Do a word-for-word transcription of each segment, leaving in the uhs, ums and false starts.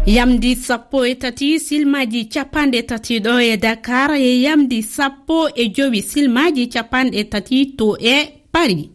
Yamdi sappo e tati silmaaji capanɗe tati ɗo e Dakar, e yamdi sappo e jowi silmaaji capanɗe tati to e Paris.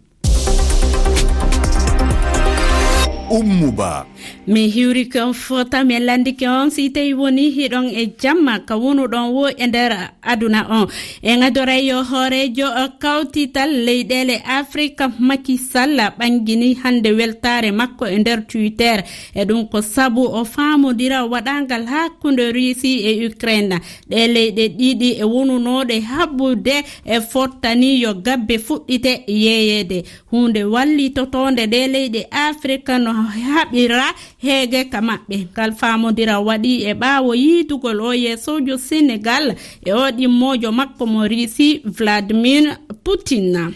Ummu Ba. Mi hiwrike on fota, mi lanndike on si tawi woni hiɗon e jamma ka wonuɗon wo e nder aduna on. En adoray yo hooreejo kawtital leyɗeele Afrika, Macky Sall, ɓangini hannde weltaare makko e nder Twitter. E ɗum ko sabu o faamodira waɗangal hakkunde Russie e Ukraine. Ɗe leyɗe ɗiɗi e wonunooɗe haɓude e fottani yo gabbe fuɗɗite yeeyeede. Huunde wallitotoonde ɗe leyɗe Afrika no haɓira heege ka maɓɓe. Ngal faamodira waɗi e ɓaawo yiidugol o yeesoojo Senegal e o ɗimmoojo makko mo Russie, Vladimir Putin.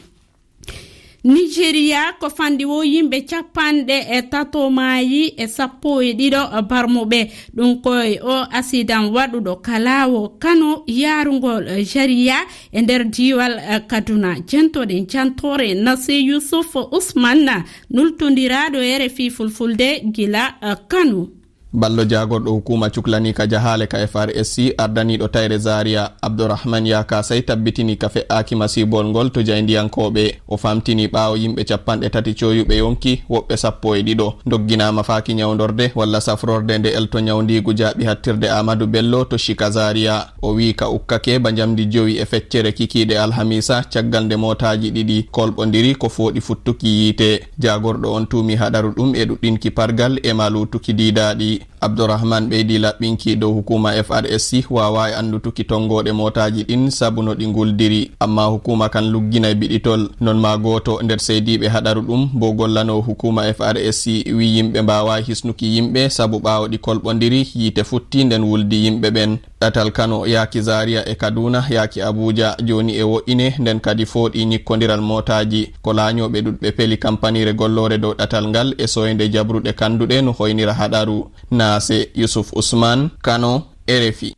Nigeria ko fanɗi wo yimɓe capanɗe e tato maayi e sappo e ɗiɗo barmuɓe. Ɗum ko e o asidan waɗuɗo ka laawo Kano yaarungol Zaria e nder diiwal, eh, Kaduna. Jentoɗen jantoore Nasir Yusuf Usman, nultondiraaɗo R F I Fulfulde gila, eh, Kano. Ballo jaagorɗo hukuma cuklani ka jahaale ka F R S C, ardaniiɗo tayre Zaria, Abdourahmane Yakasay, tabbitini ka fe'aaki masiibol ngol to jayndiyankooɓe. O famtini ɓaawo yimɓe capanɗe tati coyuɓe yonki, woɓɓe sappo e ɗiɗo ndogginaama faaki ñawndorde walla safrorde nde elto ñawndiigu jaaɓi hattirde Amadou Bello to Shika Zaria. O wi'i ka ukkake ba njamdi jowi e feccere kikiiɗe alhamiisa, caggal nde mootaaji ɗiɗi kolɓondiri ko fooɗi futtuki yiite. Jaagorɗo on tuumi haɗaru ɗum e ɗuɗɗinki pargal e ma luutuki diidaaɗi. Abdourahmane ɓeydi laɓɓinki dow hukuma F R S C waawaa e anndutuki tonngooɗe mootaaji ɗin sabu no ɗi nguldiri. Amma hukuma kan lugginay biɗitol. Non ma gooto nder seydiiɓe haɗaru ɗum, bo gollanoo hukuma F R S C, wi yimɓe mbaawaa hisnuki yimɓe sabu ɓaawo ɗi kolɓondiri, yiite futti nden wuldi yimɓe ɓen. Ɗatal Kano yaaki Zaria e Kaduna yaaki Abuja jooni e wo'ine, nden kadi fooɗi ñikkondiral mootaaji. Ko laañooɓe ɗuɗɓe peli kampaniire golloore dow ɗatal ngal e soynde jabruɗe kanduɗe no hoynira haɗaru. Naase Yusuf Usman, Kano, R F I.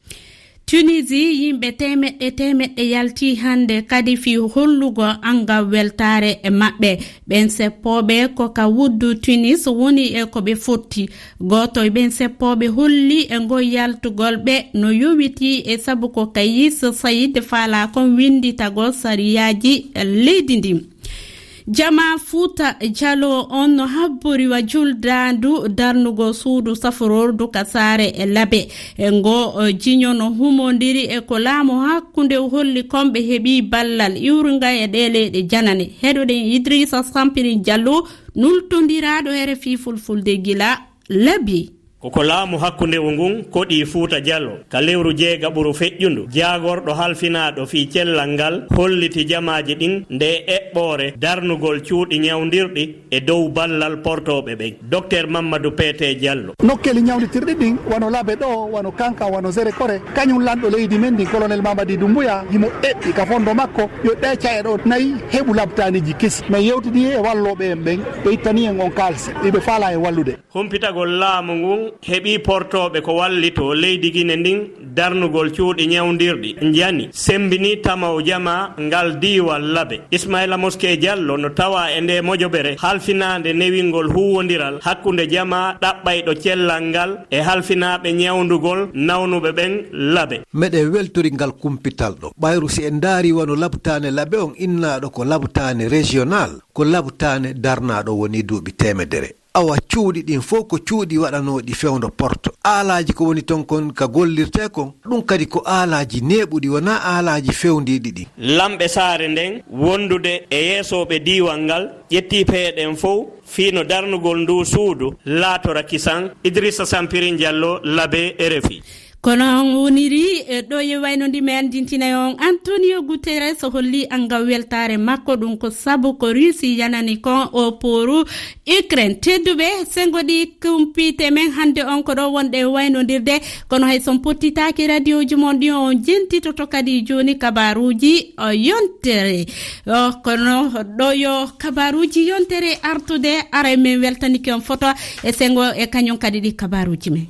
Tunisie, yimɓe teemeɗɗe teemeɗɗe yalti hannde kadi fii hollugo anngal weltaare e maɓɓe. Ɓen seppooɓe ko ka wuddu Tunis woni e ko ɓe fotti. Gooto e ɓen seppooɓe holli e ngol yaltugol ɓe no yowitii e sabu ko Kayis Sayid faalaa kon winnditagol sariyaaji leydi ndin. Jamaa Fuuta Jaloo on no habbori wa juldaandu darnugol suudu safrordu ka saare e Labe. E ngoo, o, jiño no humondiri e ko laamu hakkunde holli kon ɓe heɓi ballal iwrunga e ɗee leyɗe janane. Heɗoɗen Idrissa Sampirin Jallo, nultondiraaɗo R F I Fulfulde gila Labe. Ko ko laamu hakkundewu ngun koɗi Fuuta Jallo ka lewru jeegaɓuru feƴƴundu, jaagorɗo halfinaaɗo fii cellal ngal holliti jamaaji ɗin nde eɓɓoore darnugol cuuɗi ñawndirɗi e dow ballal portooɓe ɓen. Docteur Mamadou P T Jallo. Nokkeeli ñawnditirɗi ɗin, wano Labe ɗoo, wano Kankan, wano Zerekore, kañum lanɗo leydi men ndin, Colonel Mamadi Doumbouya, himo eɓɓi ka fondo makko, yo ɗee ca'e ɗoo nayi heɓu labtaaniji kesi. Men yewtidi e wallooɓe en ɓen, ɓe ittani en on kaalisi, iɓe faalaa en wallude. Humpitagol laamu ngun heɓii portooɓe ko wallitoo leydi Gine ndin darnugol cuuɗi ñawndirɗi, njani, sembinii tamaw jamaa ngal diiwal Labe. Ismaila Moske Jallo no tawaa e ndee mojobere halfinaande newingol huuwondiral hakkunde jamaa ɗaɓɓayɗo cellal ngal e halfinaaɓe ñawndugol nawnuɓe ɓen Labe. Meɗen weltori ngal kumpital ɗoo. Ɓayru si en ndaarii wano labtaane Labe on innaaɗo ko labtaane régional, ko labtaane darnaaɗo wonii duuɓi teemedere. Awa cuuɗi ɗin fow ko cuuɗi waɗanooɗi fewndo porto. Aalaaji ko woni ton kon ka gollirtee kon, ɗum kadi ko aalaaji neeɓuɗi, wonaa aalaaji fewndiiɗi ɗin. Lamɓe saare nden wondude e yeesooɓe diiwal ngal ƴettii peeje ɗen fow fii no darnugol nduu suudu laatora kisan. Idrissa Sampirin Jallo, Labe, R F I. Kono on woniri, e, ɗo e wayno ndi mi anndintinay on, Antonio Guterres holli anngal weltaare makko, ɗum ko sabu ko Russie yanani kon o pooru Ukraine. Tedduɓe, senngo ɗi kumpiite men hannde on ko ɗo wonɗe waynondirde, kono hay son pottitaaki radioji mon ɗi on jentitoto kadi jooni kabaruuji, o, yontere. O, kono ɗo yo kabaruuji yontere artude, aray men weltanike on foto e senngo e kañum kadi ɗi kabaruuji men.